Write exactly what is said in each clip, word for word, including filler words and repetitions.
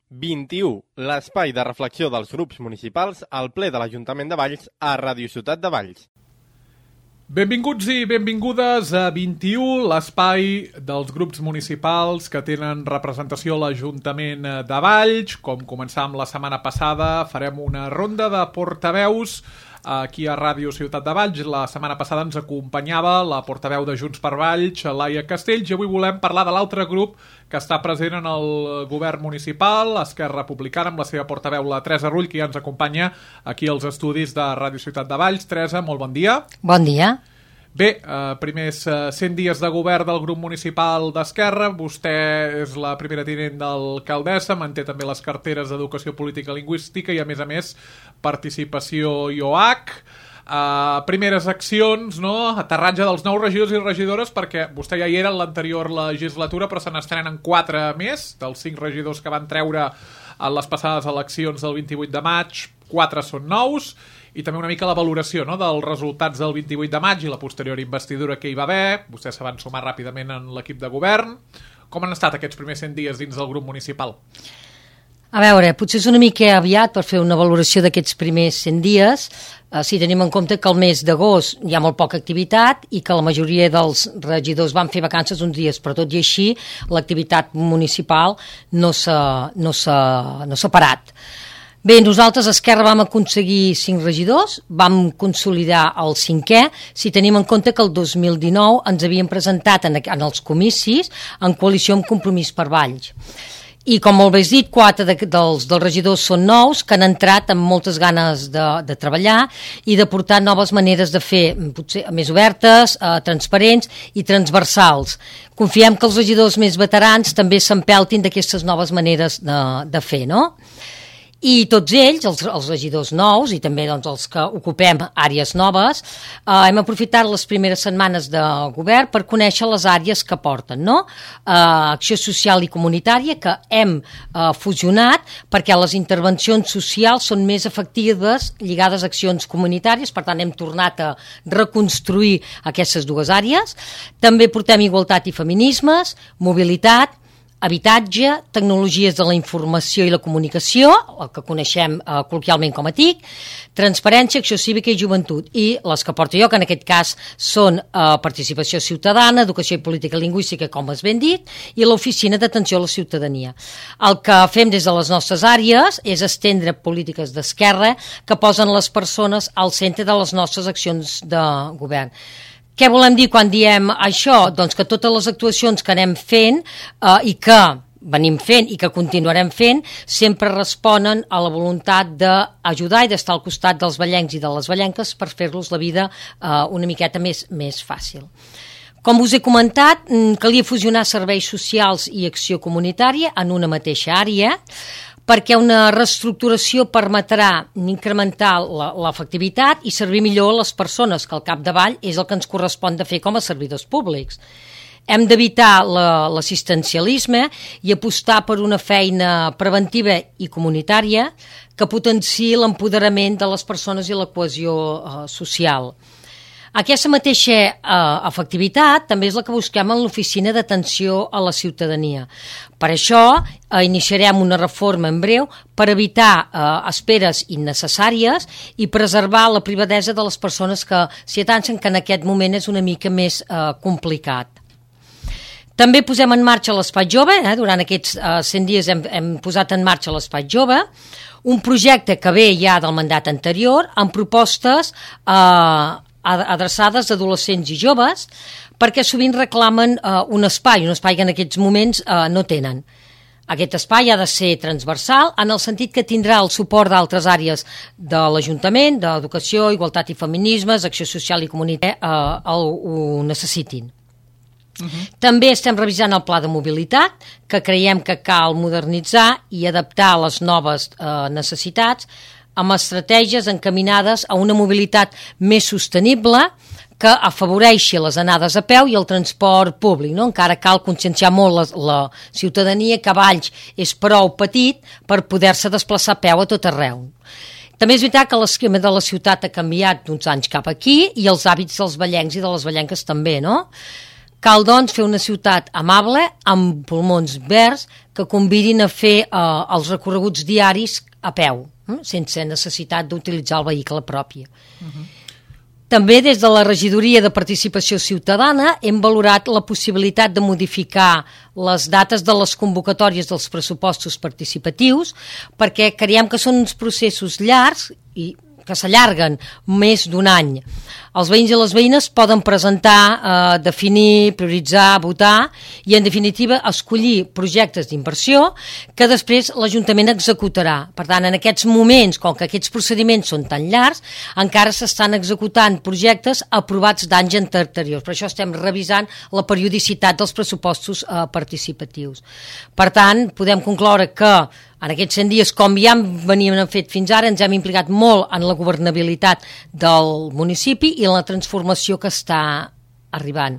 vint-i-u, l'espai de reflexió dels grups municipals al ple de l'Ajuntament de Valls a Ràdio Ciutat de Valls. Benvinguts i benvingudes a vint-i-u, l'espai dels grups municipals que tenen representació a l'Ajuntament de Valls. Com començàvem la setmana passada, farem una ronda de portaveus aquí a Ràdio Ciutat de Valls. La setmana passada ens acompanyava la portaveu de Junts per Valls, Laia Castells, i avui volem parlar de l'altre grup que està present en el govern municipal, Esquerra Republicana, amb la seva portaveu, la Teresa Rull, que ja ens acompanya aquí als estudis de Ràdio Ciutat de Valls. Teresa, molt bon dia. Bon dia. Bé, eh, primers eh, cent dies de govern del grup municipal d'Esquerra. Vostè és la primera tinent d'alcaldessa, manté també les carteres d'Educació Política i Lingüística i, a més a més, Participació i O H. Uh, primeres accions, no? Aterratge dels nous regidors i regidores, perquè vostè ja hi era en l'anterior legislatura, però se n'estrenen quatre més, dels cinc regidors que van treure en les passades eleccions del vint-i-vuit de maig, quatre són nous, i també una mica la valoració, no?, dels resultats del vint-i-vuit de maig i la posterior investidura que hi va haver. Vostès se van sumar ràpidament en l'equip de govern. Com han estat aquests primers cent dies dins del grup municipal? A veure, potser és una mica aviat per fer una valoració d'aquests primers cent dies, eh, si tenim en compte que el mes d'agost hi ha molt poca activitat i que la majoria dels regidors van fer vacances uns dies, però tot i així l'activitat municipal no s'ha, no s'ha, no s'ha parat. Bé, nosaltres a Esquerra vam aconseguir cinc regidors, vam consolidar el cinquè, si tenim en compte que el dos mil dinou ens havien presentat en, en els comicis en coalició amb Compromís per Valls. I com molt bé has dit, quatre de, dels, dels regidors són nous, que han entrat amb moltes ganes de, de treballar i de portar noves maneres de fer, potser més obertes, eh, transparents i transversals. Confiem que els regidors més veterans també s'empeltin d'aquestes noves maneres de, de fer, no? I tots ells, els, els regidors nous i també doncs, els que ocupem àrees noves, eh, hem aprofitat les primeres setmanes de govern per conèixer les àrees que porten, no? Eh, acció social i comunitària, que hem eh, fusionat perquè les intervencions socials són més efectives lligades a accions comunitàries, per tant hem tornat a reconstruir aquestes dues àrees. També portem igualtat i feminismes, mobilitat, habitatge, tecnologies de la informació i la comunicació, el que coneixem eh, col·loquialment com a T I C, transparència, acció cívica i joventut, i les que porto jo, que en aquest cas són eh, participació ciutadana, educació i política lingüística, com has ben dit, i l'oficina d'atenció a la ciutadania. El que fem des de les nostres àrees és estendre polítiques d'esquerra que posen les persones al centre de les nostres accions de govern. Què volem dir quan diem això? Doncs que totes les actuacions que anem fent eh, i que venim fent i que continuarem fent sempre responen a la voluntat d'ajudar i d'estar al costat dels vallencs i de les vallenques per fer-los la vida eh, una miqueta més, més fàcil. Com us he comentat, calia fusionar serveis socials i acció comunitària en una mateixa àrea, perquè una reestructuració permetrà incrementar l'efectivitat i servir millor a les persones, que al capdavall és el que ens correspon de fer com a servidors públics. Hem d'evitar l'assistencialisme i apostar per una feina preventiva i comunitària que potenciï l'empoderament de les persones i la cohesió eh, social. Aquesta mateixa eh, efectivitat també és la que busquem en l'oficina d'atenció a la ciutadania. Per això eh, iniciarem una reforma en breu per evitar eh, esperes innecessàries i preservar la privadesa de les persones que s'hi atansen, que en aquest moment és una mica més eh, complicat. També posem en marxa l'Espai Jove, eh? Durant aquests eh, cent dies hem, hem posat en marxa l'Espai Jove, un projecte que ve ja del mandat anterior amb propostes eh, adreçades a adolescents i joves, perquè sovint reclamen eh, un espai, un espai que en aquests moments eh, no tenen. Aquest espai ha de ser transversal en el sentit que tindrà el suport d'altres àrees de l'Ajuntament, d'educació, igualtat i feminismes, acció social i comunitària, eh, el, ho necessitin. Uh-huh. També estem revisant el pla de mobilitat, que creiem que cal modernitzar i adaptar a les noves eh, necessitats, amb estratègies encaminades a una mobilitat més sostenible que afavoreixi les anades a peu i el transport públic, no? Encara cal conscienciar molt la, la ciutadania que Valls és prou petit per poder-se desplaçar a peu a tot arreu. També és veritat que l'esquema de la ciutat ha canviat d'uns anys cap aquí i els hàbits dels vallencs i de les vallenques també, no? Cal, doncs, fer una ciutat amable, amb pulmons verds, que convidin a fer eh, els recorreguts diaris a peu, eh, sense necessitat d'utilitzar el vehicle propi. Uh-huh. També des de la Regidoria de Participació Ciutadana hem valorat la possibilitat de modificar les dates de les convocatòries dels pressupostos participatius, perquè creiem que són uns processos llargs i que s'allarguen més d'un any. Els veïns i les veïnes poden presentar, eh, definir, prioritzar, votar i, en definitiva, escollir projectes d'inversió que després l'Ajuntament executarà. Per tant, en aquests moments, com que aquests procediments són tan llargs, encara s'estan executant projectes aprovats d'anys anteriors. Per això estem revisant la periodicitat dels pressupostos eh, participatius. Per tant, podem concloure que en aquests cent dies, com ja veníem fet fins ara, ens hem implicat molt en la governabilitat del municipi i en la transformació que està arribant.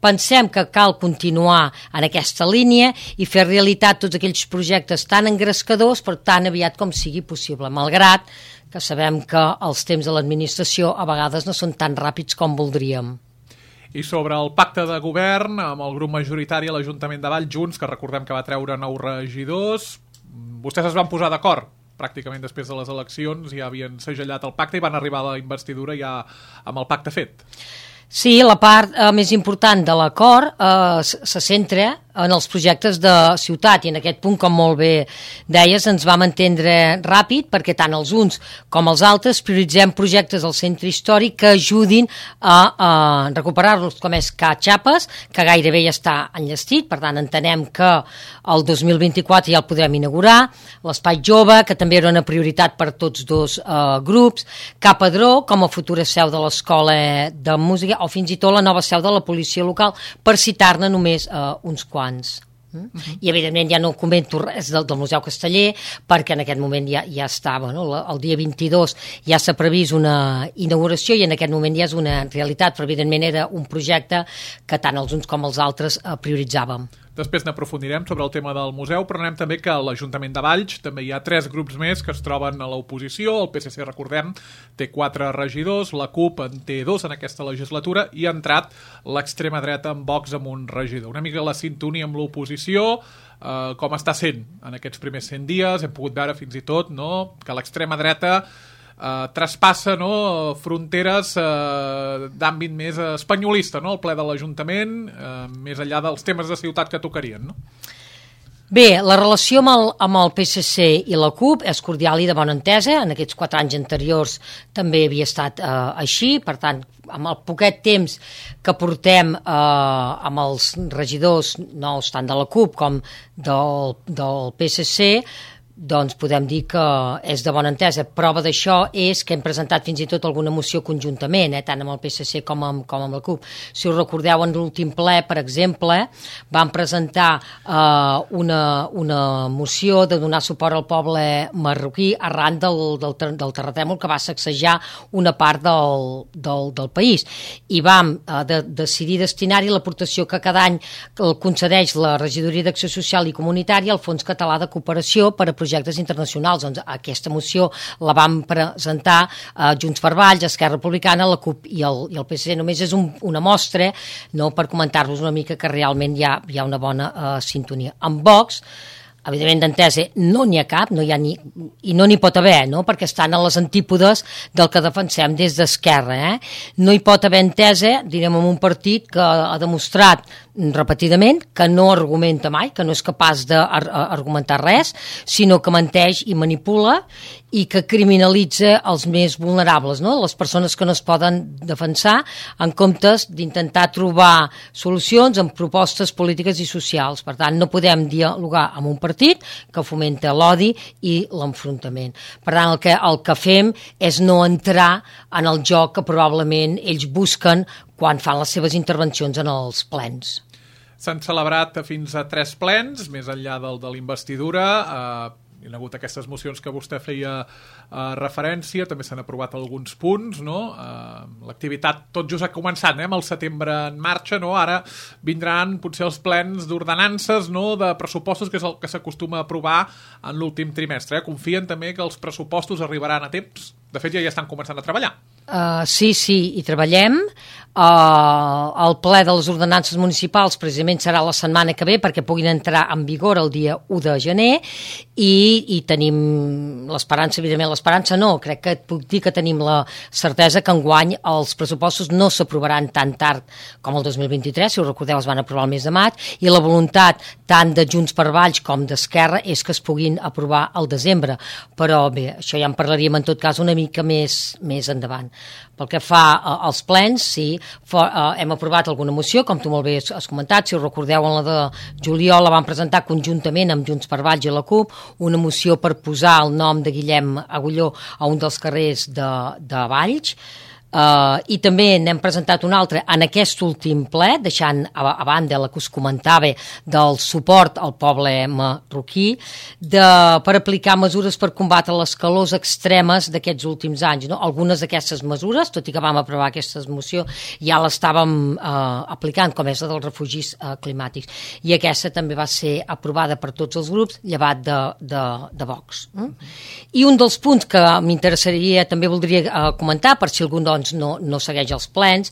Pensem que cal continuar en aquesta línia i fer realitat tots aquells projectes tan engrescadors per tan aviat com sigui possible, malgrat que sabem que els temps de l'administració a vegades no són tan ràpids com voldríem. I sobre el pacte de govern amb el grup majoritari a l'Ajuntament de Valls, Junts, que recordem que va treure nou regidors, vostès es van posar d'acord pràcticament després de les eleccions, ja havien segellat el pacte i van arribar a la investidura ja amb el pacte fet. Sí, la part eh, més important de l'acord eh, se centra en els projectes de ciutat i en aquest punt, com molt bé deies, ens vam entendre ràpid perquè tant els uns com els altres prioritzem projectes al centre històric que ajudin a, a recuperar-los, com és Ca Xapes, que gairebé ja està enllestit, per tant entenem que el dos mil vint-i-quatre ja el podrem inaugurar, l'Espai Jove, que també era una prioritat per tots dos eh, grups, Ca Padró, com a futura seu de l'Escola de Música, o fins i tot la nova seu de la policia local, per citar-ne només eh, uns quants. Uh-huh. I evidentment ja no comento res del, del Museu Casteller perquè en aquest moment ja, ja estava, no? El dia vint-i-dos ja s'ha previst una inauguració i en aquest moment ja és una realitat, però evidentment era un projecte que tant els uns com els altres eh, prioritzàvem. Després n'aprofundirem sobre el tema del museu, però anem també que a l'Ajuntament de Valls també hi ha tres grups més que es troben a l'oposició. El P S C, recordem, té quatre regidors, la CUP en té dos en aquesta legislatura i ha entrat l'extrema dreta en Vox amb un regidor. Una mica la sintonia amb l'oposició, eh, com està sent en aquests primers cent dies, hem pogut veure fins i tot, no?, que l'extrema dreta Uh, traspassa, no?, fronteres uh, d'àmbit més espanyolista, no?, el ple de l'Ajuntament, uh, més enllà dels temes de ciutat que tocarien, no? Bé, la relació amb el, amb el P S C i la CUP és cordial i de bona entesa. En aquests quatre anys anteriors també havia estat eh, així. Per tant, amb el poquet temps que portem eh, amb els regidors nous, tant de la CUP com del, del P S C, doncs podem dir que és de bona entesa. Prova d'això és que hem presentat fins i tot alguna moció conjuntament, eh, tant amb el P S C com amb, com amb la CUP. Si us recordeu, en l'últim ple, per exemple, vam presentar eh, una, una moció de donar suport al poble marroquí arran del, del, del terratrèmol que va sacsejar una part del, del, del país. I vam eh, de, decidir destinar-hi l'aportació que cada any concedeix la Regidoria d'Acció Social i Comunitària al Fons Català de Cooperació per a projectes internacionals. Doncs aquesta moció la vam presentar eh, Junts per Valls, Esquerra Republicana, la CUP i el, i el P S C. Només és un, una mostra, no?, per comentar-vos una mica que realment hi ha, hi ha una bona eh, sintonia. Amb Vox, evidentment d'entesa no n'hi ha cap, no hi ha ni, i no n'hi pot haver, no?, perquè estan a les antípodes del que defensem des d'Esquerra. Eh? No hi pot haver entesa, direm, en un partit que ha demostrat repetidament que no argumenta mai, que no és capaç d'argumentar res, sinó que menteix i manipula i que criminalitza els més vulnerables, no?, les persones que no es poden defensar, en comptes d'intentar trobar solucions amb propostes polítiques i socials. Per tant, no podem dialogar amb un partit que fomenta l'odi i l'enfrontament. Per tant, el que, el que fem és no entrar en el joc que probablement ells busquen quan fan les seves intervencions en els plens. S'han celebrat fins a tres plens, més enllà del de l'investidura. Eh, hi ha hagut aquestes mocions que vostè feia eh, referència, també s'han aprovat alguns punts, no? Eh, l'activitat tot just ha començat, eh, amb el setembre en marxa, no? Ara vindran potser els plens d'ordenances, no?, de pressupostos, que és el que s'acostuma a aprovar en l'últim trimestre. Eh? Confien també que els pressupostos arribaran a temps? De fet, ja hi estan començant a treballar. Uh, sí, sí, hi treballem. Uh, el ple de les ordenances municipals precisament serà la setmana que ve perquè puguin entrar en vigor el dia u de gener i, i tenim l'esperança, evidentment l'esperança no, crec que et puc dir que tenim la certesa que enguany els pressupostos no s'aprovaran tan tard com el dos mil vint-i-tres, si us recordeu es van aprovar el mes de maig, i la voluntat tant de Junts per Valls com d'Esquerra és que es puguin aprovar al desembre, però bé, això ja en parlaríem en tot cas una mica més, més endavant. Pel que fa als plens, sí, for, uh, hem aprovat alguna moció, com tu molt bé has, has comentat, si us recordeu en la de juliol la vam presentar conjuntament amb Junts per Valls i la CUP, una moció per posar el nom de Guillem Agulló a un dels carrers de, de Valls, Uh, i també n'hem presentat un altre en aquest últim ple, deixant a, a banda la que us comentava del suport al poble marroquí, de, per aplicar mesures per combatre les calors extremes d'aquests últims anys. No? Algunes d'aquestes mesures, tot i que vam aprovar aquesta moció, ja l'estàvem uh, aplicant, com és la dels refugis uh, climàtics. I aquesta també va ser aprovada per tots els grups, llevat de, de, de Vox. Mm? I un dels punts que m'interessaria, també voldria uh, comentar, per si algun doncs no, no segueix els plens,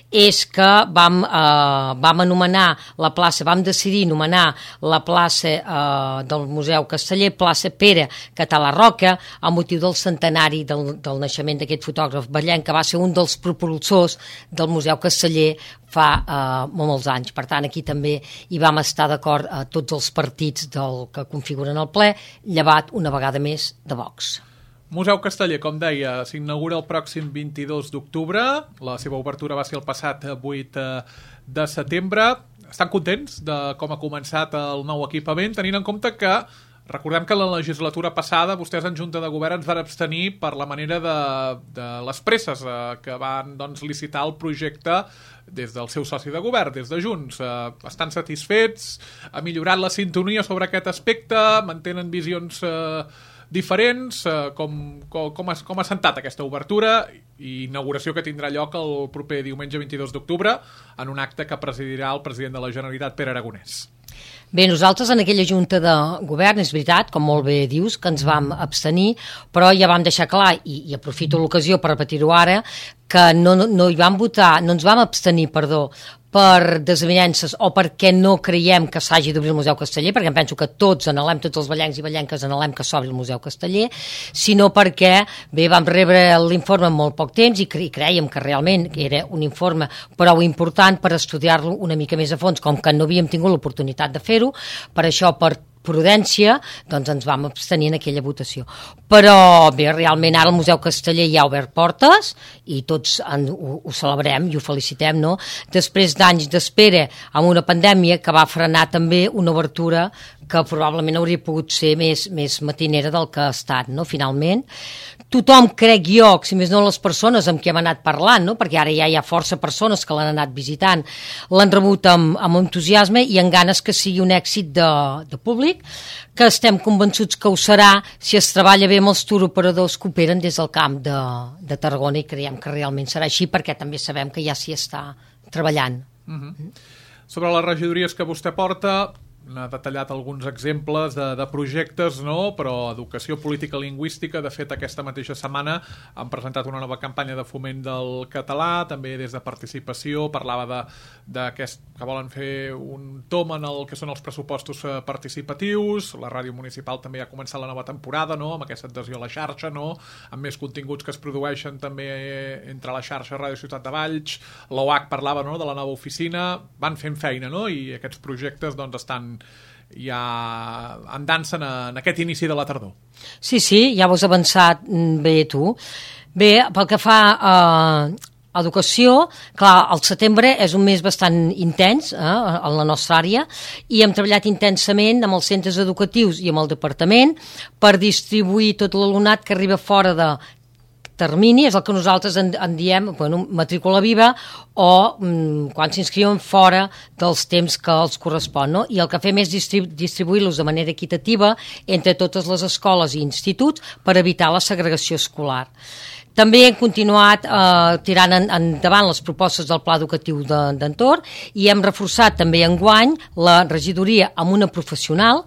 és que vam, eh, vam anomenar la plaça, vam decidir anomenar la plaça eh, del Museu Casteller, plaça Pere Català Roca, a motiu del centenari del, del naixement d'aquest fotògraf vallenc, que va ser un dels propulsors del Museu Casteller fa eh, molts anys. Per tant, aquí també hi vam estar d'acord a tots els partits del que configuren el ple, llevat una vegada més de Vox. Museu Casteller, com deia, s'inaugura el pròxim vint-i-dos d'octubre. La seva obertura va ser el passat vuit de setembre. Estan contents de com ha començat el nou equipament, tenint en compte que recordem que la legislatura passada vostès en Junta de Govern ens van abstenir per la manera de, de les presses eh, que van doncs, licitar el projecte des del seu soci de govern, des de Junts. Eh, estan satisfets, ha millorat la sintonia sobre aquest aspecte, mantenen visions eh, diferents, eh, com, com, com, ha, com ha sentat aquesta obertura i inauguració que tindrà lloc el proper diumenge vint-i-dos d'octubre en un acte que presidirà el president de la Generalitat, Pere Aragonès. Bé, nosaltres en aquella junta de govern, és veritat, com molt bé dius, que ens vam abstenir, però ja vam deixar clar, i, i aprofito l'ocasió per repetir-ho ara, que no, no, no hi vam votar, no ens vam abstenir, perdó, per desavinences o perquè no creiem que s'hagi d'obrir el Museu Casteller, perquè em penso que tots anhelem, tots els vallencs i vallenques anhelem que s'obri el Museu Casteller, sinó perquè, bé, vam rebre l'informe en molt poc temps i cre creiem que realment era un informe prou important per estudiar-lo una mica més a fons, com que no havíem tingut l'oportunitat de fer-ho, per això, per prudència, doncs ens vam abstenir en aquella votació. Però bé, realment ara el Museu Casteller ja ha obert portes i tots en, ho, ho celebrem i ho felicitem, no? Després d'anys d'espera amb una pandèmia que va frenar també una obertura que probablement hauria pogut ser més, més matinera del que ha estat, no? Finalment. Tothom, crec jo, si més no les persones amb qui hem anat parlant, no? Perquè ara ja hi ha força persones que l'han anat visitant, l'han rebut amb, amb entusiasme i amb ganes que sigui un èxit de, de públic, que estem convençuts que ho serà si es treballa bé amb els turoperadors que operen des del camp de, de Tarragona i creiem que realment serà així perquè també sabem que ja s'hi està treballant. Uh-huh. Sobre les regidories que vostè porta, n'ha detallat alguns exemples de, de projectes, no? Però educació política lingüística, de fet aquesta mateixa setmana han presentat una nova campanya de foment del català, també des de participació, parlava de, de que, es, que volen fer un tom en el que són els pressupostos participatius, la ràdio municipal també ha començat la nova temporada, no? Amb aquesta adhesió a la xarxa, no? Amb més continguts que es produeixen també entre la xarxa Ràdio Ciutat de Valls, l'O H parlava, no? De la nova oficina, van fent feina, no? I aquests projectes doncs estan ja en dansa en, en aquest inici de la tardor. Sí, sí, ja ho has avançat bé tu. Bé, pel que fa a educació, clar, el setembre és un mes bastant intens eh, en la nostra àrea i hem treballat intensament amb els centres educatius i amb el departament per distribuir tot l'alumnat que arriba fora de termini, és el que nosaltres en, en diem bueno, matrícula viva o mm, quan s'inscriuen fora dels temps que els correspon, no? I el que fem és distribu distribuir-los de manera equitativa entre totes les escoles i instituts per evitar la segregació escolar. També hem continuat eh, tirant en, endavant les propostes del Pla Educatiu d'entorn de, i hem reforçat també enguany la regidoria amb una professional,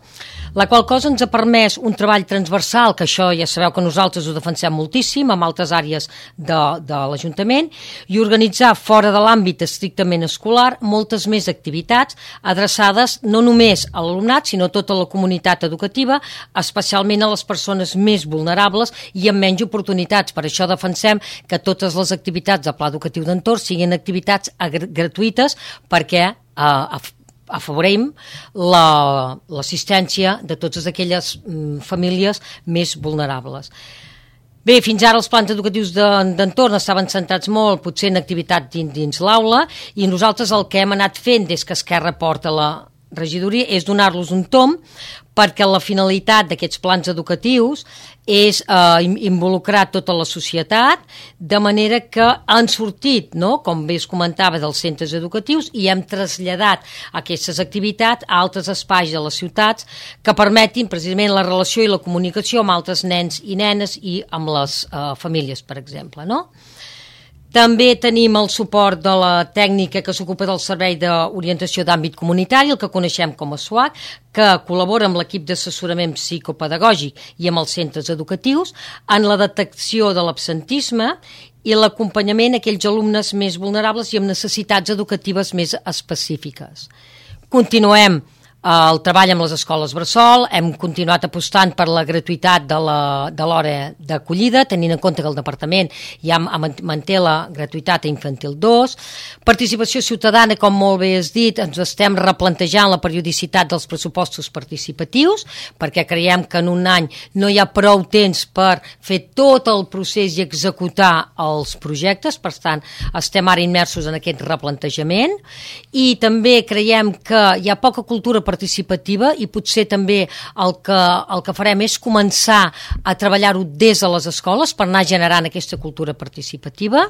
la qual cosa ens ha permès un treball transversal, que això ja sabeu que nosaltres ho defensem moltíssim, amb altres àrees de, de l'Ajuntament, i organitzar fora de l'àmbit estrictament escolar moltes més activitats adreçades no només a l'alumnat, sinó a tota la comunitat educativa, especialment a les persones més vulnerables i amb menys oportunitats. Per això defensem que totes les activitats del Pla Educatiu d'Entorn siguin activitats gratuïtes perquè eh, afavorim l'assistència la, de totes aquelles mm, famílies més vulnerables. Bé, fins ara els plans educatius d'entorn estaven centrats molt potser en activitat dins, dins l'aula, i nosaltres el que hem anat fent des que Esquerra porta la regidoria és donar-los un tomb, perquè la finalitat d'aquests plans educatius és eh, involucrar tota la societat, de manera que han sortit, no?, com bé es comentava, dels centres educatius, i hem traslladat aquestes activitats a altres espais de les ciutats que permetin precisament la relació i la comunicació amb altres nens i nenes i amb les eh, famílies, per exemple, no? També tenim el suport de la tècnica que s'ocupa del Servei d'Orientació d'Àmbit Comunitari, el que coneixem com a S U A C, que col·labora amb l'equip d'assessorament psicopedagògic i amb els centres educatius en la detecció de l'absentisme i l'acompanyament a aquells alumnes més vulnerables i amb necessitats educatives més específiques. Continuem el treball amb les escoles bressol, hem continuat apostant per la gratuïtat de l'hora d'acollida, tenint en compte que el Departament ja manté la gratuïtat a infantil dos. Participació ciutadana, com molt bé has dit, ens estem replantejant la periodicitat dels pressupostos participatius, perquè creiem que en un any no hi ha prou temps per fer tot el procés i executar els projectes, per tant, estem ara immersos en aquest replantejament, i també creiem que hi ha poca cultura participativa i potser també el que, el que farem és començar a treballar-ho des de les escoles per anar generant aquesta cultura participativa.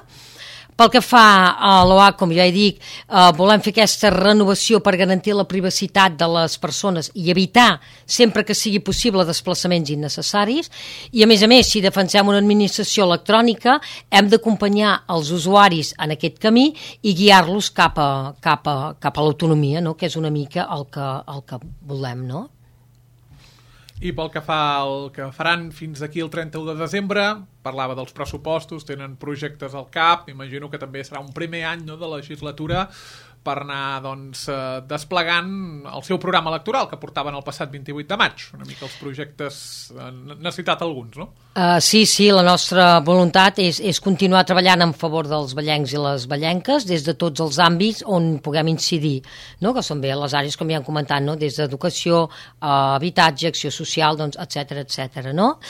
Pel que fa a l'O A C, com ja he dit, eh, volem fer aquesta renovació per garantir la privacitat de les persones i evitar, sempre que sigui possible, desplaçaments innecessaris. I, a més a més, si defensem una administració electrònica, hem d'acompanyar els usuaris en aquest camí i guiar-los cap a, cap a, cap a l'autonomia, no?, que és una mica el que, el que volem, no? I pel que fa al que faran fins aquí el trenta-u de desembre, parlava dels pressupostos, tenen projectes al cap, imagino que també serà un primer any, no?, de legislatura per anar, doncs, eh, desplegant el seu programa electoral que portaven el passat vint-i-vuit de maig. Una mica els projectes, eh, n'ha citat alguns, no? Uh, sí, sí, la nostra voluntat és, és continuar treballant en favor dels ballencs i les ballenques des de tots els àmbits on puguem incidir, no?, que són bé les àrees, com ja hem comentat, no?, des d'educació, uh, habitatge, acció social, doncs, etcètera, etcètera, no?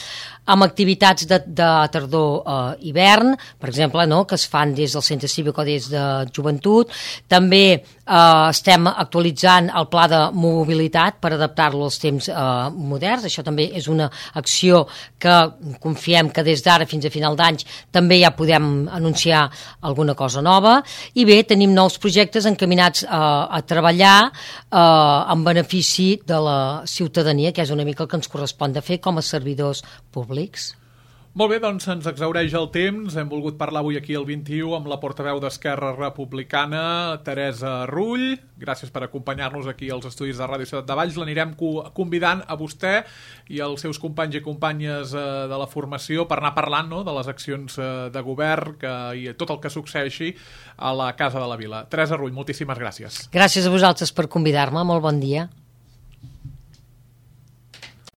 Amb activitats de, de tardor-hivern, uh, per exemple, no?, que es fan des del centre cívic o des de joventut. També Uh, estem actualitzant el pla de mobilitat per adaptar-lo als temps uh, moderns. Això també és una acció que confiem que des d'ara fins a final d'any també ja podem anunciar alguna cosa nova. I bé, tenim nous projectes encaminats uh, a treballar uh, en benefici de la ciutadania, que és una mica el que ens correspon de fer com a servidors públics. Molt bé, doncs ens exhaureix el temps. Hem volgut parlar avui aquí el vint-i-u amb la portaveu d'Esquerra Republicana, Teresa Rull. Gràcies per acompanyar-nos aquí als estudis de Ràdio Ciutat de Valls. L'anirem convidant a vostè i als seus companys i companyes de la formació per anar parlant, no?, de les accions de govern que, i tot el que succeeixi a la Casa de la Vila. Teresa Rull, moltíssimes gràcies. Gràcies a vosaltres per convidar-me. Molt bon dia.